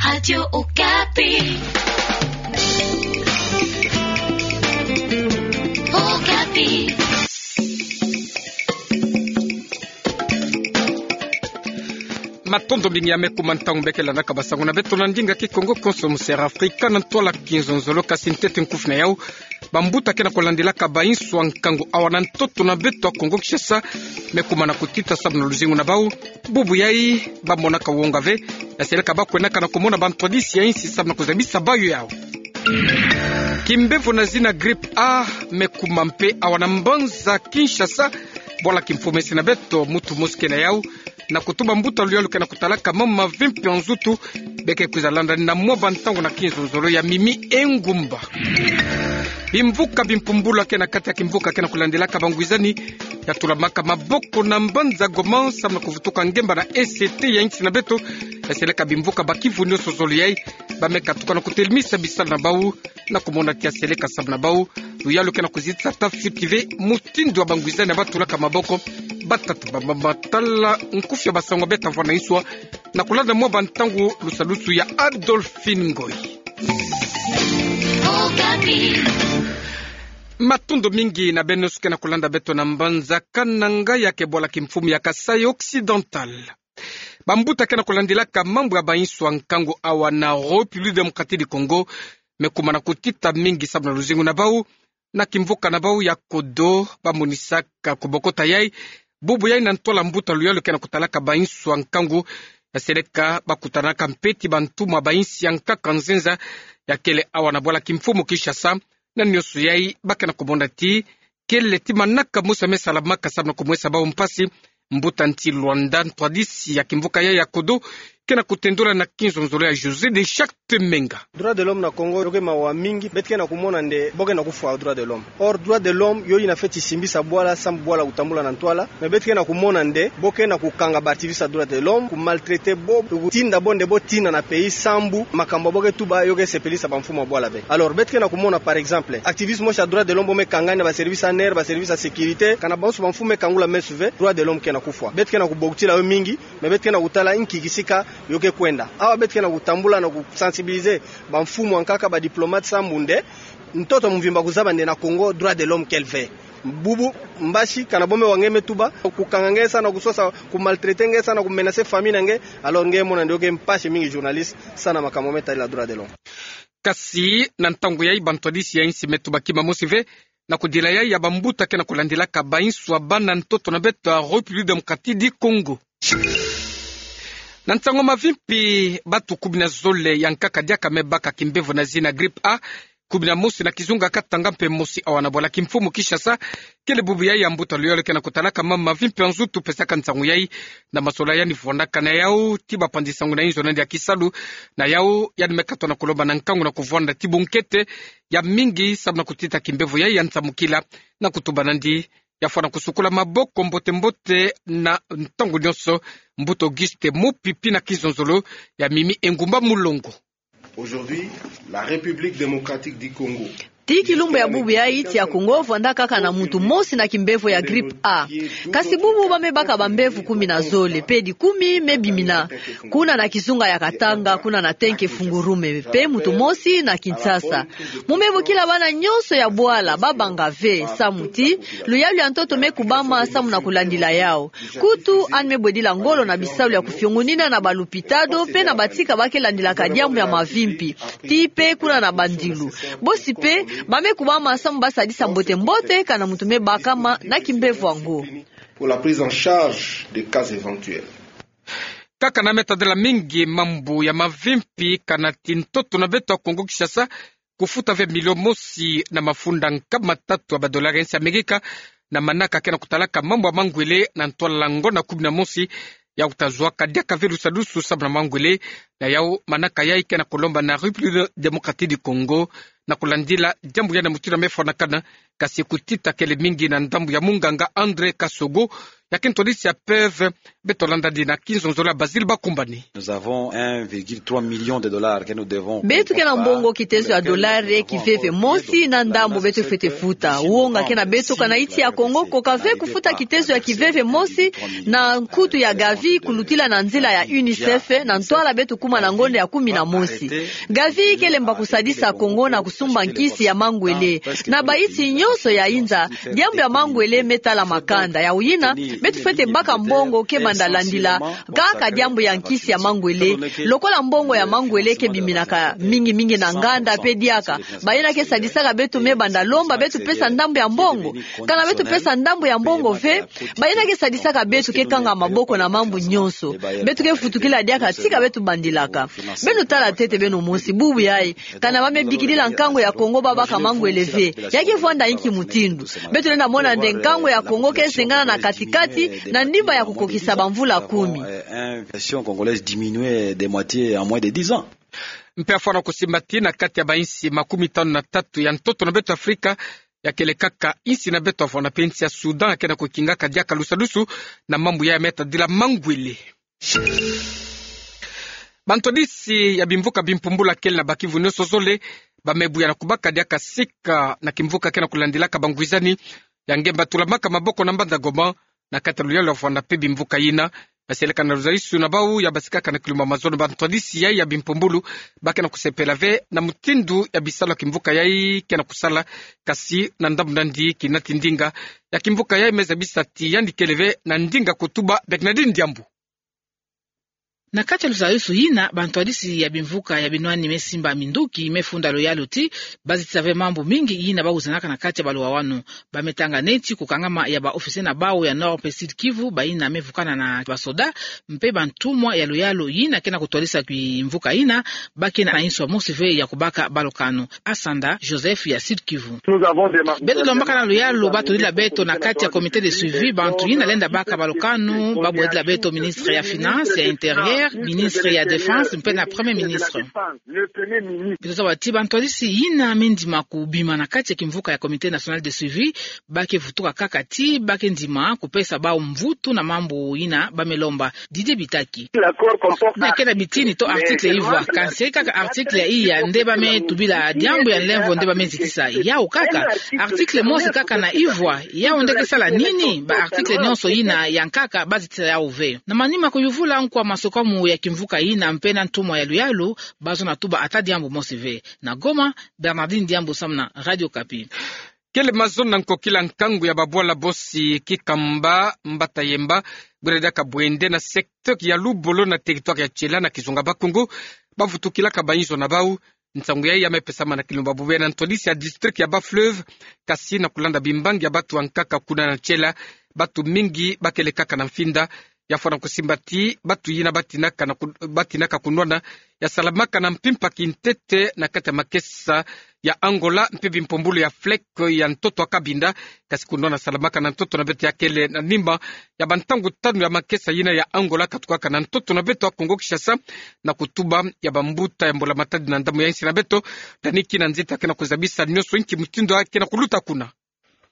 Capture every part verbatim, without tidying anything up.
Radio Okapi. Okapi. Matondo mingi ya me kuma ntangu mbe ke landaka basango na beto na ndinga Kikongo konso mu Sera Afrika na ntwala kinzonzolo. Kasi ntete nkufi na yau, bambuta ke na kulandilaka bainsu ya nkangu awa na ntoto na beto ya Kongo Kinshasa me kuma na kutita samu na luzingu na bau. Bubu yai, bamonaka wonga ve ya seleka bakwenaka na kumona bantwadisi ya insi samu na kuzabisa bayo yau. Kimbevo na zina grippe A me kuma mpe awa na mbanza Kinshasa. Bwala kimfumu ensi na beto, muntu mosi ke na yau na kutuba mbuta luyalu ke na kutalaka mambu mavimpi ya nzutu, be ke kwiza landani na mwa bantangu na kinzonzolo ya mimi engumba. Bimvuka bimpumbulwa ke na kati ya kimvuka ke na kulandilaka bangwizani ya tulamaka maboko na mbanza Goma samu na kuvutuka ngemba na est ya insi na beto. Ya seleka bimvuka bakivu nionso zole yai, ba me katuka na kutelemisa bisalu na bau na kumona ti ya seleka samu na bau. Luyalu ke na kuzitisa ta fioti ve mutindu ya bangwizani ya batulaka maboko, batata ba mama tala nkufi ya basango beta vwa na inswa na kulanda mwa bantangu lusalusu ya Adolphine Ngoyi. Matondo mingi na beno nionso ke na kulanda beto na mbanza Kananga ya ke bwala kimfumu ya Kasaï Occidental. Bambuta ke na kulandilaka mambu ya bainsu ya nkangu awa na République Démocratique du Congo me kuma na kutita mingi samu na luzingu na bau. Na kimvuka na bau ya Kodo, bamonisaka kubokota yai bubu yai na ntwala mbuta luyalu ke na kutalaka bainsu ya nkangu. Ya seleka bakutanaka mpe ti bantumwa ba insi ya nkaka nzenza ya kele awa na bwala kimfumu Kinshasa. Na nionso yai ba ke na kumona ti kele ti manaka mosi ya me salamaka samu na kumwesa bau mpasi. Mbuta nti Luanda, ntwadisi ya kimvuka yai ya Kodo, ke na kutendula na kinzonzolo ya José de Charte Menga. Droit de l'homme na Congo yo ke mawa mingi. Beto ke na kumona nde bo ke na kufwa droit de l'homme. Or droit de l'homme yo yina feti simbisa bwala samu bwala kutambula na ntwala. Mais beto ke na kumona nde bo ke na kukanga ba activiste ya droit de l'homme, kumaltraiter bo, kutinda bo nde bo tina na pays sambu makambu bo ke tuba yo ke sepelisa bamfumu ya bwala ve. Alors beto ke na kumona, par exemple, activiste mosi ya droit de l'homme bo me kangani na ba service A N R, ba service ya sécurité, kana bansu bamfumu me kangula meso ve, droit de l'homme ke na kufwa. Beto ke na kubokutila yo mingi, mais beto ke na kutala inki kisika yo ke kwenda. Awa beto ke na kutambula na kusensibiliser bamfumu ya nkaka, ba diplomate sambu nde ntoto mvimba kuzaba nde na Congo droit de l'homme kele ve. Bubu mbasi, kana bo me wa nge me tuba, kukanga nge samu na kusosa, kumaltraiter nge samu na kumenacer famille na nge. Alors nge mona nde yo ke mpasi mingi journaliste samu na makambu me tadila droit de l'homme. Kasi na ntangu yai bantwadisi ya insi me tuba kima mosi ve na kudila yai ya bambuta ke na kulandilaka bainsu ya bana ntoto na beto ya République Démocratique du Congo. Na nsangu mavimpi, batu kumi na zole ya nkaka diaka me baka kimbevo na zina grippe A, kumi na mosi na kizunga Katanga mpe mosi awa na bwala kimfumu Kinshasa. Kele bubu yai ya mbuta luyalu ke na kutalaka mambu mavimpi ya nzutu pesaka nsangu yai na masolani yandi vwandaka na yau ti bapanzi nsangu na inzo na yandi ya kisalu. Na yau yandi me katwa na kulomba na nkangu na kuvwanda ti bunkete ya mingi samu na kutita kimbevo yai ya nsamukila, na kutuba nandi ya fwana kusukula maboko mbote mbote na ntangu nionso. Mbuta Auguste Mupipi na kinzonzolo ya mimi engumba Mulongo. Aujourd'hui, la République démocratique du Congo. Ti kilumbu ya bubu yai, ti ya Congo vwanda kaka na muntu mosi na kimbevo ya grippe A. Kasi bubu ba me baka bambevo kumi na zole, pe dikumi me bimina. Kuna na kizunga ya Katanga, kuna na Tenke Fungurume, pe muntu mosi na Kinshasa. Mu me bokila bana nionso ya bwala, ba banga ve, samu ti luyalu ya ntoto me kubama samu na kulandila yau. Kutu yandi me bwedila ngolo na bisalu ya kufiongonina na balupitalo pe na batika ba ke landilaka diambu ya mavimpi, ti pe kuna na bandilu. Bosi pe ba me kubama samu ba sadisa mbote mbote kana muntu me bakama na kimbevo yango. Pour la prise en charge des cas éventuels. Kaka na me tadila mingi mambu ya mavimpi, kana ti ntoto na beto ya Congo Kinshasa kufuta ve milio mosi na mafunda nkama tatu ya badolari ya insi Amerika, na manaka ke na kutalaka mambu ya mangwele na ntwala ngonda kumi na mosi. Yau ta zuaka diaka ve lusadusu samu na mangwele. Na yau manaka yai ke na kulomba na République démocratique du Congo na kulandila diambu yai na mutindu ya me fwanakana, kasi kutita kele mingi na ndambu ya munganga André Kasogo. Ya ke ntwadisi ya PEV, beto landa dina ki nzonzolo ya Basile Bakumbani. Nous avons un virgule trois million de dollars que nous devons. Beto ke na mbongo kitezo ya dolare kiveve mosi na ndambu beto fwete futa. Wonga ke na beto kana insi ya Kongo ko kave kufuta kitezo ya kiveve mosi na nkutu ya Gavi kulutila na nzila ya UNICEF, na ntwala beto kuma na ngonda ya kumi na mosi. Gavi ke lemba kusadisa Kongo na kusumba nkisi ya mangwele. Na bainsi nyonso ya inza, diambu ya mangwele me tala makanda. Yawu yina, beto fwete baka mbongo ke banda landila kaka diambu ya nkisi ya mangwele. Lokola mbongo ya mangwele ke biminaka mingi mingi na nganda mpe diaka, bayina ke sadisaka beto me banda lomba beto pesa ndambu ya mbongo. Kana beto pesa ndambu ya mbongo ve, bayina ke sadisaka beto ke kanga maboko na mambu nyonso. Beto ke vutukila diaka tika beto bandilaka. Beno tala ntete beno mosi, bubu yayi, kana ba me bikidila nkangu ya Kongo ba baka mangwele ve, ya ke vwanda inki mutindu? Beto lenda mona nde nkangu ya Kongo ke zengana na katikati, na ndimba ya kukokisa bamvula kumi. Une version congolaise diminuée de moitié en moins de dix ans. Mpe ya fwana kusimbati na kati ya bainsi makumi tanu na tatu ya ntoto na beto Afrika, ya kele kaka insi na beto ya fwana mpe insi ya Soudan ya ke na kukingaka diaka lusadusu na mambu ya me tadila mangwele. Bantwadisi ya bimvuka bimpumbulu ya kele na bakivu nyonso zole, ba me buya na kubaka diaka sika na kimvuka ke na kulandilaka bangwizani ya ngemba tulamaka maboko na mbanza Goma, na kati ya luyalu ya fwana mpe bimvuka yina. Basieleka na luzayisu na bau ya basikaka na kilumbu ya mazono, bantwadisi yayi ya bimpumbulu ba ke na kusepela ve na mutindu ya bisalu ya kimvuka yayi ke na kusala, kasi na ndambu nandi kinati ndinga ya kimvuka yayi me zabisa ti yandi kele ve na ndinga kutuba. Bernardine Diambu. Na kati ya luzayisu yina, bantwadisi ya bimvuka ya binwani me simba minduki me funda luyalu ti ba zitisa ve mambu mingi yina ba wizanaka na kati ya baluwawanu. Ba me tanga neti kukangama ya ba officier na bau ya Nord mpe Sud Kivu, bayina me vukana na basoda, mpe bantumwa ya luyalu yina ke na kutwadisa kimvuka yina, ba ke na inso mosi ve ya kubaka balu kanu. Asanda Joseph ya Sud Kivu. Beto lombaka na luyalu ba tudila beto na kati ya comité de suivi bantu yina lenda baka balu kanu, ba bwedila beto ministre ya Finances, ya Intérieur, ministre ya Défense, mpe na Premier ministre. Beto zaba ti bantwadisi yina me ndima kubima na kati ya kimvuka ya Comité National de Suivi, ba ke vutuka kaka ti ba ke ndima kupesa bau mvutu na mambu yina ba me lomba. Didier Bitaki. Na ke na bitini to article ivwa, kansi kaka article ya iya nde ba me tubila diambu ya nlemvo nde ba me zitisa. Yawu kaka, article mosi kaka na ivwa, yawu nde ke sala nini? Ba article nyonso yina ya nkaka ba zitisa yawu ve. Na manima kuyuvula nkwa masokamu ya kimvuka yina mpe na ntumwa ya luyalu, ba zona tuba ata diambu mosi ve. Na Goma, Bernardine Diambu samu na Radio Okapi. Kele mazono na nkokila nkangu ya babwala bosi Kikamba Mbata Yemba, bwena diaka bwende na secteur ya Lubolo na territoire ya Tshela na kizunga Bakongo, ba vutukilaka bainzo na bau. Nsangu yayi ya me pesama na kilumbu ya bubu yayi na ntwadisi ya district ya Bas-Fleuve, kasi na kulanda bimbangi ya batu ya nkaka kuna na Tshela, batu mingi ba kele kaka na mfinda. Ya fwana kusimba ti batu yina ba tinaka na ku-, ba tinaka kunwana ya salamaka na mpimpa kintete na kati ya makesa ya Angola mpe bimpumbulu ya FLEC ya ntoto ya Cabinda, kasi kunwana salamaka na ntoto na beto ya kele na nima ya bantangu tanu ya makesa yina ya Angola katukaka na ntoto na beto ya Congo-Kinshasa, na kutuba ya bambuta ya mbula matadi na ndambu ya insi na beto. Dany Kinanzita ke na kuzabisa nyonso inki mutindu ya ke na kuluta kuna.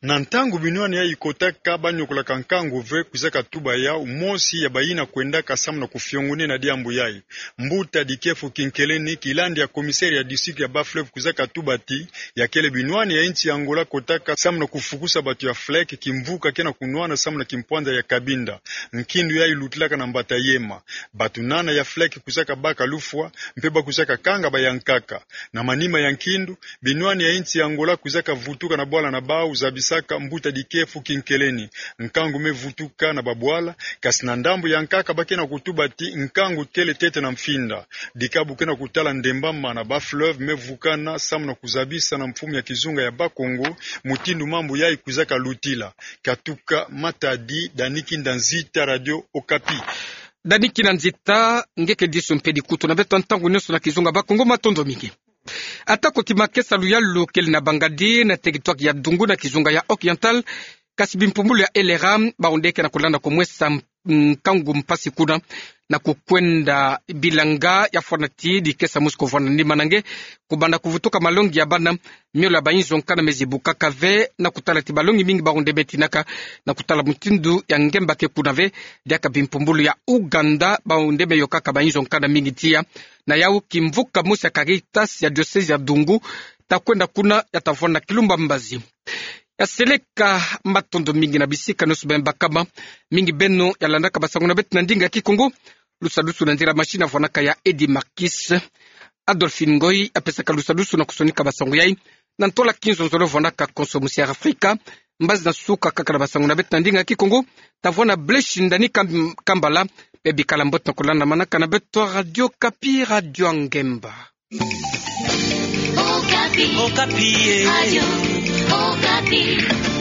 Na ntangu binwani yayi ikotaka, ba nyokolaka nkangu ve kwizaka tuba yawu. Mosi ya bayina kwendaka samu na kufiongonena diambu yayi, Mbuta Dikefu Kinkeleni, kilandi ya commissaire ya district ya Bas-Fleuve, kwizaka tuba ti ya kele binwani ya insi ya Angola kotaka samu na kufukusa batu ya FLEC, kimvuka ke na kunwana samu na kimpwanza ya Cabinda. Nkindu yayi ilutilaka na Mbata Yemba. Batu nana ya FLEC kwizaka baka lufwa, mpe ba kwizaka kanga bayankaka. Na manima ya nkindu, binwani ya insi ya Angola kwizaka vutuka na bwala na bau zabisaka Mbuta Dikefu Kinkeleni. Nkangu me vutuka na babwala, kasi na ndambu ya nkaka ba ke na kutuba ti nkangu kele ntete na mfinda. Dikabu ke na kutala ndembama na Bas-Fleuve me vukana samu na kuzabisa na mfumu ya kizunga ya Bakongo mutindu mambu yayi kwizaka lutila. Katuka Matadi, Dany Kinanzita, Radio Okapi. Dany Kinanzita, nge ke disu mpe dikutu na beto ntangu nyonso na kizunga Bakongo, matondo mingi. Ata ko kimakesa luyalu kele na Bangadi na territoire ya Dungu na kizunga ya Oriental, kasi bimpumbulu ya LRA, bau nde ke na kulanda kumwesa nkangu mpasi kuna, na kukwenda bilanga ya fwana ti dikesa mosi kuvwanda ndimana nge, kubanda kuvutuka malongi ya bana, miole ya bainzo nkanda mezibukaka ve, na kutala ti balongi mingi bawu nde betinaka, na kutala mutindu ya ngemba ke kuna ve, diaka bimpumbulu ya Uganda, bawu nde beyokaka bainzo nkanda mingi tiya, na yawu kimvuka mosi ya Caritas ya diocèse ya Dungu, ta kwenda kuna ya ta vwanda kilumba mbazi. Ya seleka matondo mingi na bisika nioso beno bakama, mingi beno ya landaka basango na beto na ndinga Kikongo, lusadusu na nzila machine ya vwanaka ya Eddy Marquis. Adolphine Ngoy ya pesaka lusadusu na kusonika basango yai, na ntola kinzonzolo vwanaka konso musi ya Afrika. Mbazi na suka kaka na basango na beto na ndinga Kikongo, ta vwanda Blaise Ndani Kam-, Kambala, beno bikala mbote na kulandamanaka na beto Radio Okapi, radio ya ngemba. Okapi. Okapi, eh. Radio Okapi.